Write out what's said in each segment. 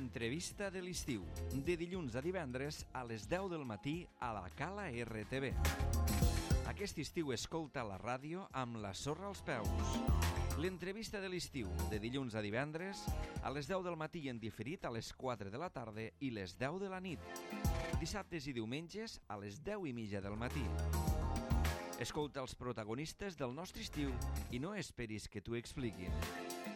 L'entrevista de l'estiu, de dilluns a divendres a les 10 del matí a la Cala RTV. Aquest estiu escolta la ràdio amb la sorra als peus. L'entrevista de l'estiu, de dilluns a divendres a les 10 del matí i en diferit a les 4 de la tarda i les 10 de la nit. Dissabtes i diumenges a les 10:30 del matí. Escolta els protagonistes del nostre estiu i no esperis que t'ho expliquin.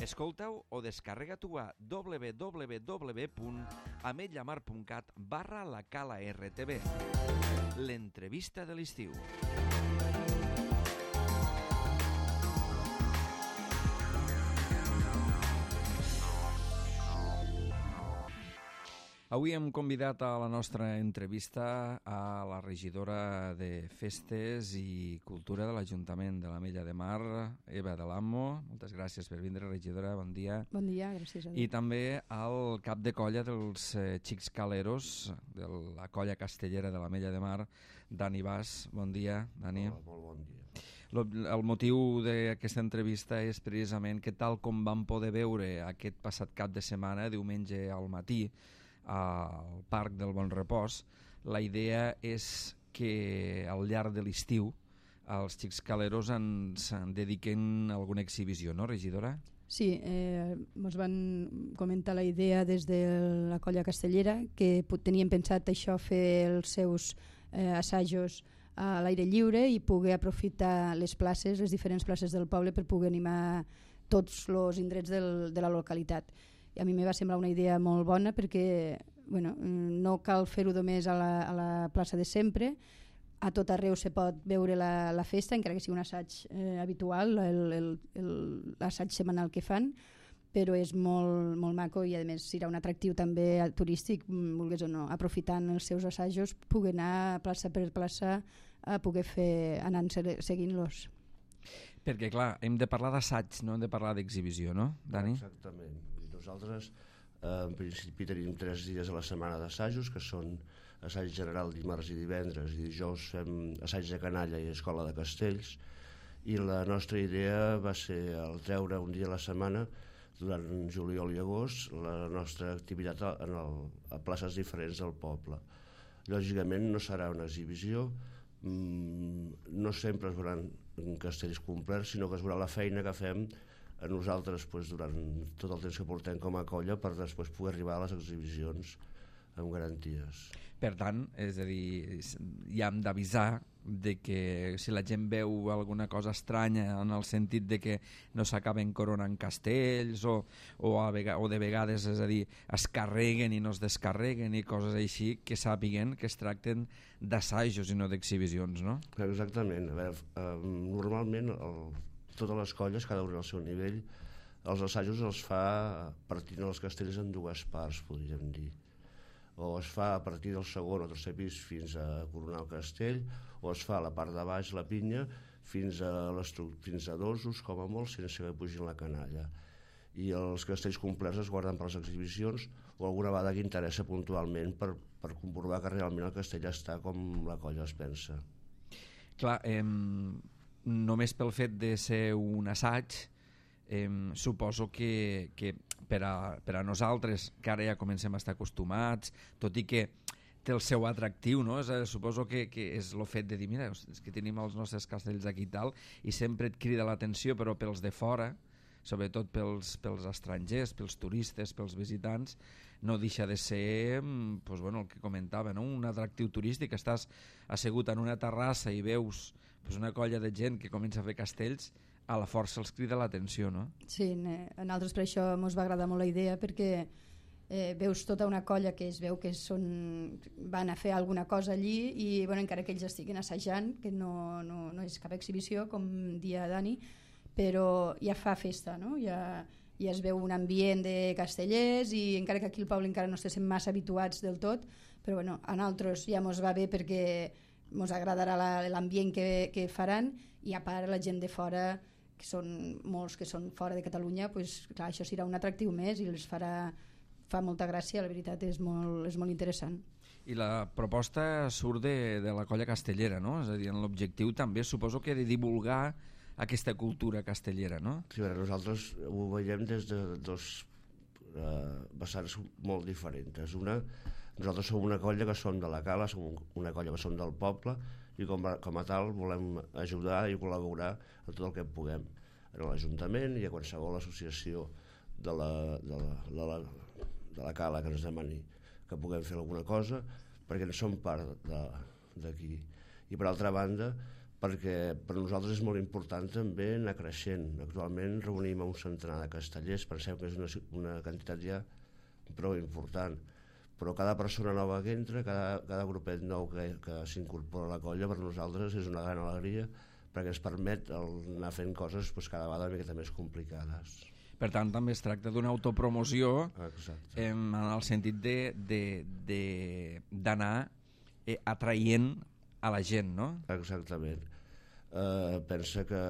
Escolta-ho o descarrega-t'ho a www.ametlllamar.cat/la Cala RTV. L'entrevista de l'estiu. Avui hem convidat a la nostra entrevista a la regidora de Festes i Cultura de l'Ajuntament de l'Ametlla de Mar, Eva de l'Amo. Moltes gràcies per vindre, regidora, bon dia. Bon dia, gràcies a tu. I també al cap de colla dels Xics Caleros, de la colla castellera de l'Ametlla de Mar, Dani Bas. Bon dia, Dani. Hola, molt bon dia. El motiu d'aquesta entrevista és precisament que tal com vam poder veure aquest passat cap de setmana, diumenge al matí, al Parc del Bon Repòs, la idea és que al llarg de l'estiu els Xics Caleros ens dediquen a alguna exhibició, no, regidora? Sí, ens van comentar la idea des de la colla castellera que tenien pensat això, fer els seus assajos a l'aire lliure i poder aprofitar les places, les diferents places del poble per poder animar tots els indrets de la localitat. I a mi me va semblar una idea molt bona perquè no cal fer-ho només a la plaça de sempre, a tot arreu se pot veure la festa, encara que sigui un assaig habitual, l'assaig setmanal que fan, però és molt, molt maco i a més serà un atractiu també turístic, vulguis o no, aprofitant els seus assajos, poder anar plaça per plaça a poder fer, anant seguint-los. Perquè, clar, hem de parlar d'assaig, no hem de parlar d'exhibició, no, Dani? Exactament. Nosaltres, en principi, tenim 3 dies a la setmana d'assajos, que són assaig general dimarts i divendres, i dijous fem assaig de canalla i escola de castells, i la nostra idea va ser el treure un dia a la setmana, durant juliol i agost, la nostra activitat a places diferents del poble. Lògicament no serà una exhibició, no sempre es veuran castells complets, sinó que es veurà la feina que fem a nosaltres durant tot el temps que portem com a colla per després poder arribar a les exhibicions amb garanties. Per tant, és a dir, ja hem d'avisar de que si la gent veu alguna cosa estranya en el sentit de que no s'acaben coronant castells o de vegades, és a dir, es carreguen i no es descarreguen i coses així, que sàpiguen que es tracten d'assajos i no d'exhibicions, no? Exactament. A veure, normalment totes les colles, cada una al seu nivell, els assajos els fa partint els castells en 2 parts, podríem dir. O es fa a partir del segon o tercer pis fins a coronar el castell, o es fa a la part de baix, la pinya, fins a dosos, com a molt, sense que pugin la canalla. I els castells complets es guarden per les exhibicions o alguna vegada que interessa puntualment per comprovar que realment el castell està com la colla es pensa. Clar, només pel fet de ser un assaig, suposo que per a nosaltres, que ara ja comencem a estar acostumats, tot i que té el seu atractiu, no? Suposo que és el fet de dir, mira, és que tenim els nostres castells aquí i tal, i sempre et crida l'atenció, però pels de fora, sobretot pels estrangers, pels turistes, pels visitants, no deixa de ser el que comentava, no? Un atractiu turístic. Estàs assegut en una terrassa i veus una colla de gent que comença a fer castells, a la força els crida l'atenció, no? Sí, a nosaltres per això ens va agradar molt la idea, perquè veus tota una colla que es veu que van a fer alguna cosa allí i encara que ells estiguin assajant, que no és cap exhibició, com dia Dani, però ja fa festa, no? Ja es veu un ambient de castellers i encara que aquí al poble encara no estem massa habituats del tot, però a nosaltres ja ens va bé perquè ens agradarà l'ambient que faran, i a part la gent de fora, que són molts que són fora de Catalunya, clar, això serà un atractiu més i els fa molta gràcia, la veritat és molt interessant. I la proposta surt de la colla castellera, no? És a dir, l'objectiu també suposo que de divulgar aquesta cultura castellera, no? Sí, nosaltres ho veiem des de 2 vessants molt diferents. Nosaltres som una colla que som de la Cala, som una colla que som del poble, i com a tal volem ajudar i col·laborar en tot el que puguem en l'Ajuntament i a qualsevol associació de la Cala que ens demani que puguem fer alguna cosa, perquè en som part d'aquí. I per altra banda, perquè per nosaltres és molt important també anar creixent. Actualment reunim un centenar de castellers, penseu que és una quantitat ja prou important, però cada persona nova que entra, cada grupet nou que s'incorpora a la colla, per nosaltres és una gran alegria, perquè ens permet anar fent coses cada vegada una miqueta més complicades. Per tant, també es tracta d'una autopromoció. Exacte. En el sentit d'anar atraient a la gent, no? Exactament. Pensa que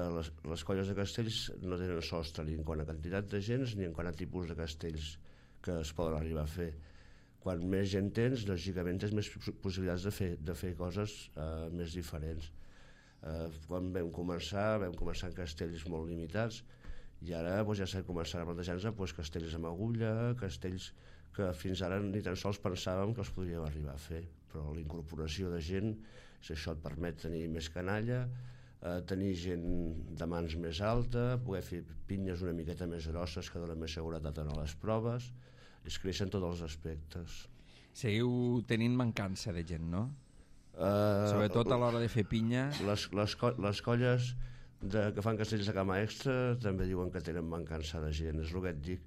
les colles de castells no tenen sostre ni en quant a quantitat de gent ni en quant a tipus de castells que es poden arribar a fer. Quan més gent tens, lògicament tens més possibilitats de fer coses més diferents. Quan vam començar en castells molt limitats, i ara ja s'ha començat a plantejar-nos castells amb agulla, castells que fins ara ni tan sols pensàvem que els podríem arribar a fer, però la incorporació de gent, això et permet tenir més canalla, tenir gent de mans més alta, poder fer pinyes una miqueta més grosses que donen més seguretat a les proves, es creixen tots els aspectes. Seguiu tenint mancança de gent, no? Sobretot a l'hora de fer pinya. Les colles que fan castells de cama extra també diuen que tenen mancança de gent, és el que et dic,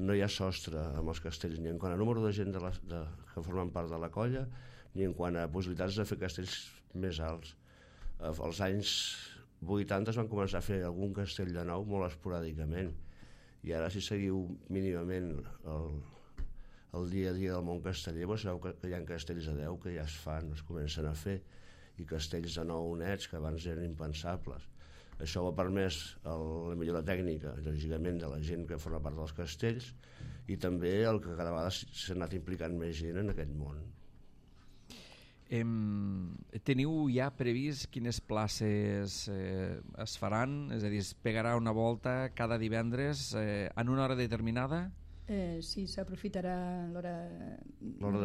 no hi ha sostre amb els castells, ni en quant a número de gent que formen part de la colla, ni en quant a possibilitats de fer castells més alts. Als anys 80 es van començar a fer algun castell de nou molt esporàdicament, i ara si seguiu mínimament el dia a dia del món casteller, sabeu que hi ha castells de 10 que ja es fan, es comencen a fer, i castells de 9 nets que abans eren impensables. Això ha permès la millora tècnica, lògicament, de la gent que forma part dels castells, i també el que cada vegada s'ha anat implicant més gent en aquest món. Teniu ja previst quines places es faran? És a dir, es pegarà una volta cada divendres en una hora determinada? Sí, s'aprofitarà l'hora...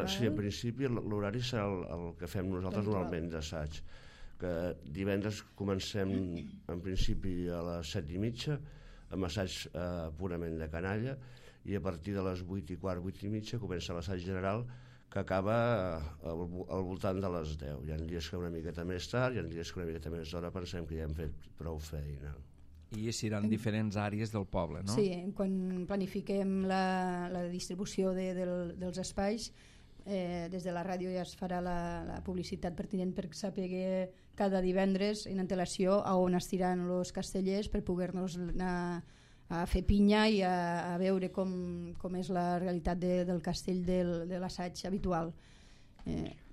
Sí, en principi l'horari serà el que fem nosaltres normalment d'assaig, que divendres comencem en principi a les 7:30 amb assaig purament de canalla, i a partir de les 8:15, 8:30 comença l'assaig general, que acaba al voltant de les 10. Hi ha dies que una miqueta més tard, hi ha dies que una miqueta més d'hora, pensem que ja hem fet prou feina. I seran diferents àrees del poble, no? Sí, quan planifiquem la distribució dels espais, des de la ràdio ja es farà la publicitat pertinent per saber cada divendres en antelació a on estiran els castellers per poder-nos anar a fer pinya i a veure com és la realitat del castell de l'assaig habitual.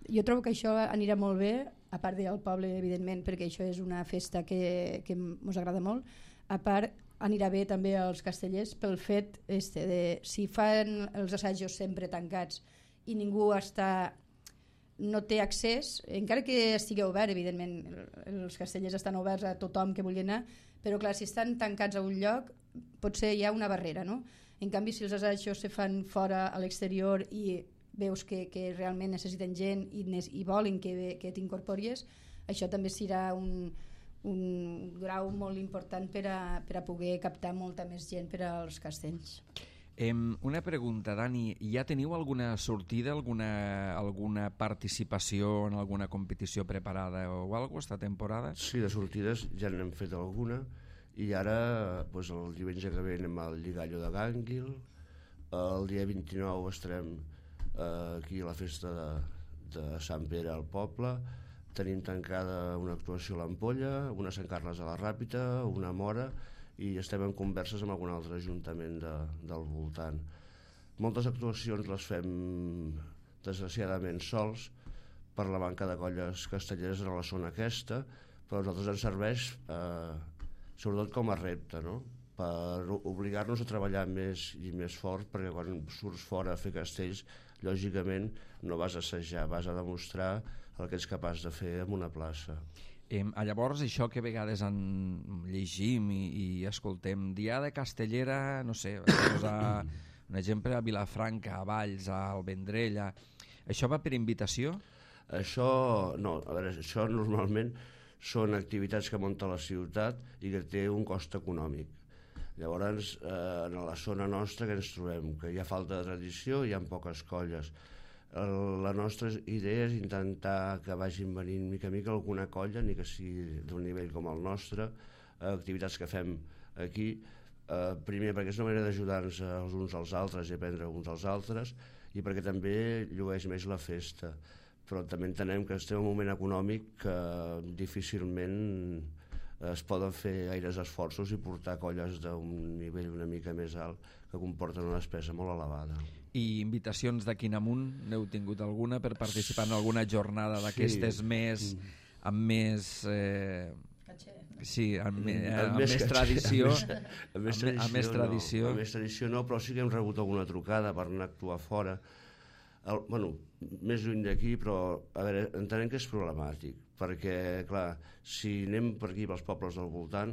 Jo trobo que això anirà molt bé, a part del poble, evidentment, perquè això és una festa que ens agrada molt. A part, anirà bé també als castellers pel fet de si fan els assajos sempre tancats i ningú no té accés, encara que estigui obert, evidentment els castellers estan oberts a tothom que vulgui anar, però clar, si estan tancats a un lloc potser hi ha una barrera, no? En canvi, si els assajos se fan fora a l'exterior i veus que realment necessiten gent i volen que t'incorpories, això també serà un grau molt important per a poder captar molta més gent per als castells. Una pregunta, Dani, ja teniu alguna sortida, alguna participació en alguna competició preparada o alguna cosa esta temporada? Sí, de sortides ja n'hem fet alguna, i ara el diumenge que ve anem al Lligallo de Gànguil, el dia 29 estarem aquí a la festa de Sant Pere al poble, tenim tancada una actuació a l'Ampolla, una a Sant Carles de la Ràpita, una a Móra, i estem en converses amb algun altre ajuntament del voltant. Moltes actuacions les fem desgraciadament sols per la manca de colles castelleres a la zona aquesta, però a nosaltres ens serveix sobretot com a repte, no? Per obligar-nos a treballar més i més fort, perquè quan surts fora a fer castells, lògicament no vas a assajar, vas a demostrar el que ets capaç de fer en una plaça. Llavors, això que a vegades llegim i escoltem, diada castellera, no sé, un exemple, a Vilafranca, a Valls, al Vendrell. Això va per invitació? Això, no, a veure, això normalment són activitats que munta la ciutat i que té un cost econòmic. Llavors, en la zona nostra que ens trobem, que hi ha falta de tradició, hi ha poques colles. La nostra idea és intentar que vagin venint mica a mica alguna colla, ni que sigui d'un nivell com el nostre, activitats que fem aquí, primer perquè és una manera d'ajudar-nos els uns als altres i aprendre uns als altres, i perquè també llueix més la festa. Però també entenem que estem en un moment econòmic que difícilment es poden fer gaires esforços i portar colles d'un nivell una mica més alt que comporten una despesa molt elevada. I invitacions d'aquí en amunt, n'heu tingut alguna per participar en alguna jornada d'aquestes més amb més amb més tradició, amb més tradició no, però sí que hem rebut alguna trucada per anar a actuar fora. Més lluny d'aquí, però a veure, entenem que és problemàtic, perquè clar, si anem per aquí pels pobles del voltant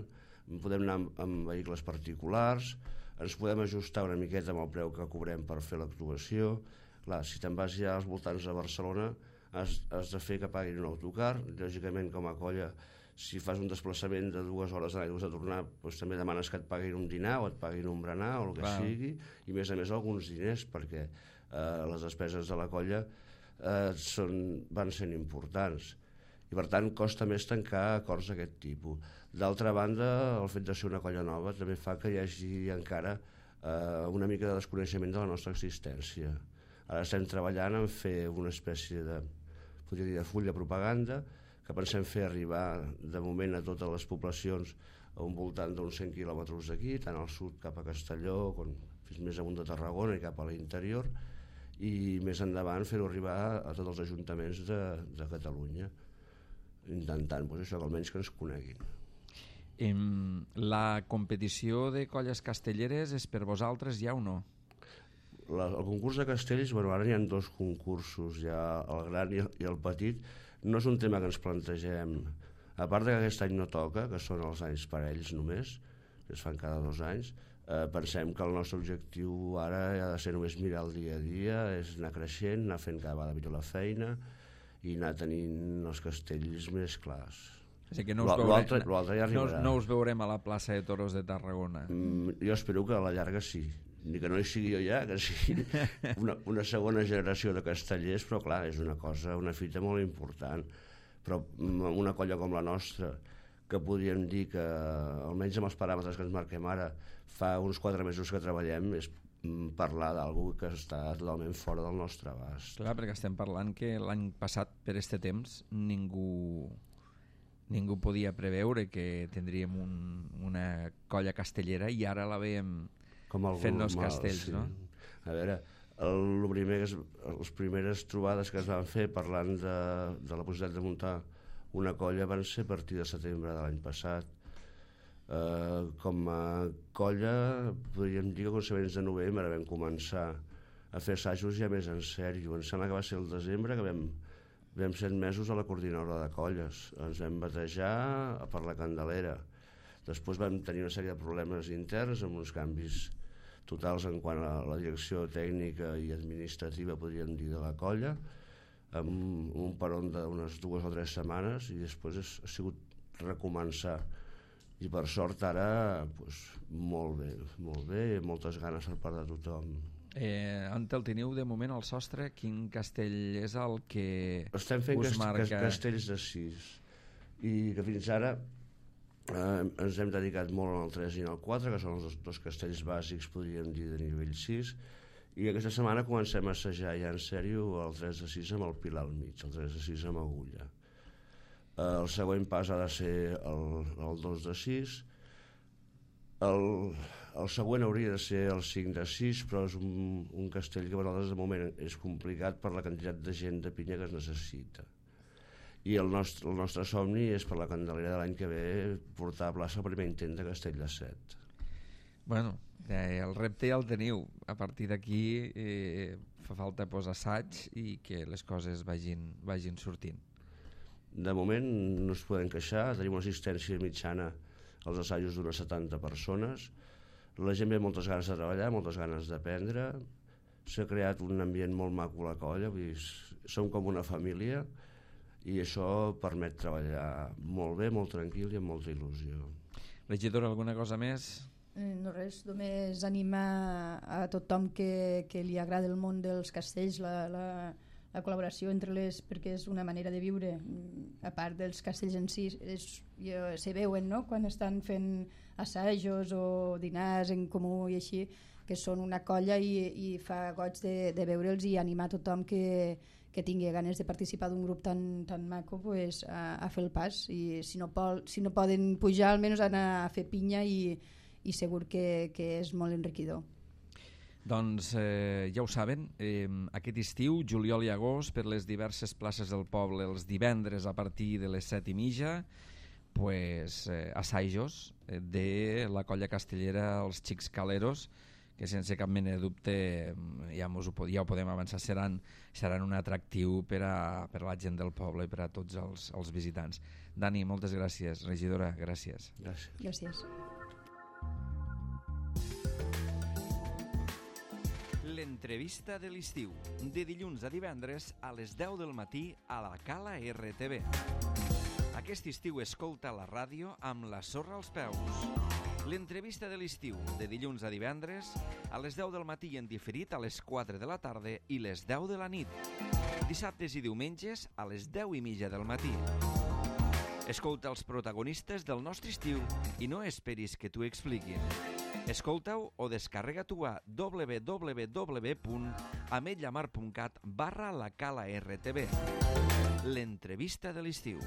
podem anar amb vehicles particulars, ens podem ajustar una miqueta amb el preu que cobrem per fer l'actuació. Clar, si te'n vas ja als voltants de Barcelona has de fer que paguin un autocar. Lògicament, com a colla, si fas un desplaçament de 2 hores d'anar i 2 de tornar, doncs també demanes que et paguin un dinar o et paguin un berenar o el que sigui, i a més alguns diners, perquè les despeses de la colla van sent importants i per tant costa més tancar acords d'aquest tipus. D'altra banda, el fet de ser una colla nova també fa que hi hagi encara una mica de desconeixement de la nostra existència. Ara estem treballant en fer una espècie de, podria dir, de full de propaganda que pensem fer arribar de moment a totes les poblacions a un voltant d'uns 100 quilòmetres d'aquí, tant al sud cap a Castelló com fins més amunt de Tarragona i cap a l'interior, i més endavant fer-ho arribar a tots els ajuntaments de Catalunya, intentant això, que almenys que ens coneguin. La competició de colles castelleres és per vosaltres ja o no? El concurs de castells, ara hi ha 2 concursos, ja el gran i el petit. No és un tema que ens plantegem, a part que aquest any no toca, que són els anys parells només, que es fan cada 2 anys. Pensem que el nostre objectiu ara ha de ser només mirar el dia a dia, és anar creixent, anar fent cada vegada millor la feina i anar tenint els castells més clars. O sigui que no us veurem a la plaça de Toros de Tarragona. Jo espero que a la llarga sí, ni que no hi sigui jo ja, que sigui una segona generació de castellers, però clar, és una fita molt important. Però una colla com la nostra, que podríem dir que almenys amb els paràmetres que ens marquem ara fa uns 4 mesos que treballem, és parlar d'algú que està totalment fora del nostre abast. Clar, perquè estem parlant que l'any passat per este temps ningú podia preveure que tindríem una colla castellera i ara la veiem fent els castells, sí. No? A veure, les primeres trobades que es van fer parlant de la possibilitat de muntar una colla van ser a partir de setembre de l'any passat. Com a colla podríem dir que a començaments de novembre vam començar a fer assajos ja més en sèrio. Em sembla que va ser el desembre que vam 7 mesos a la coordinadora de colles. Ens vam batejar per la Candelera. Després vam tenir una sèrie de problemes interns amb uns canvis totals en quant a la direcció tècnica i administrativa, podríem dir, de la colla, amb un peron d'unes 2 o 3 setmanes, i després ha sigut recomençar. I per sort ara molt bé, moltes ganes per part de tothom. On el teniu de moment al sostre? Quin castell és el que estem fent us marca? Castells de 6, i que fins ara ens hem dedicat molt en el 3 i en el 4, que són els 2 castells bàsics, podríem dir, de nivell 6, i aquesta setmana comencem a assajar ja en sèrio el 3 de 6 amb el pilar al mig, el 3 de 6 amb agulla. El següent pas ha de ser el 2 de 6, el següent hauria de ser el 5 de 6, però és un castell que per nosaltres de moment és complicat per la quantitat de gent de pinya que es necessita. I el nostre somni és per la Candelera de l'any que ve portar a plaça el primer intent de castell de 7. Bueno, el repte ja el teniu. A partir d'aquí fa falta posar assaig i que les coses vagin sortint. De moment no es poden queixar, tenim una assistència mitjana als assajos d'unes 70 persones. La gent ve moltes ganes de treballar, moltes ganes d'aprendre. S'ha creat un ambient molt maco a la colla, vull dir, som com una família i això permet treballar molt bé, molt tranquil i amb molta il·lusió. Regidora, alguna cosa més? No res, només animar a tothom que li agrada el món dels castells, la col·laboració entre les, perquè és una manera de viure, a part dels castells en si, se veuen, no?, quan estan fent assajos o dinars en comú i així, que són una colla i fa goig de veure'ls i animar tothom que tingui ganes de participar d'un grup tan maco, pues, a fer el pas, i si no poden pujar almenys anar a fer pinya i segur que és molt enriquidor. Doncs ja ho saben, aquest estiu, juliol i agost, per les diverses places del poble, els divendres a partir de les 7:30, pues, assajos de la colla castellera Els Xics Caleros, que sense cap mena de dubte, ja ho podem avançar, seran un atractiu per a la gent del poble i per a tots els visitants. Dani, moltes gràcies. Regidora, gràcies. Gràcies. L'entrevista de l'estiu, de dilluns a divendres a les 10 del matí a la Cala RTV. Aquest estiu escolta la ràdio amb la sorra als peus. L'entrevista de l'estiu, de dilluns a divendres a les 10 del matí en diferit a les 4 de la tarda i les 10 de la nit. Dissabtes i diumenges a les 10:30 del matí. Escolta els protagonistes del nostre estiu i no esperis que t'ho expliquin. Escolta-ho o descarrega-t'ho a www.ametlllamar.cat/la Cala RTV. L'entrevista de l'estiu.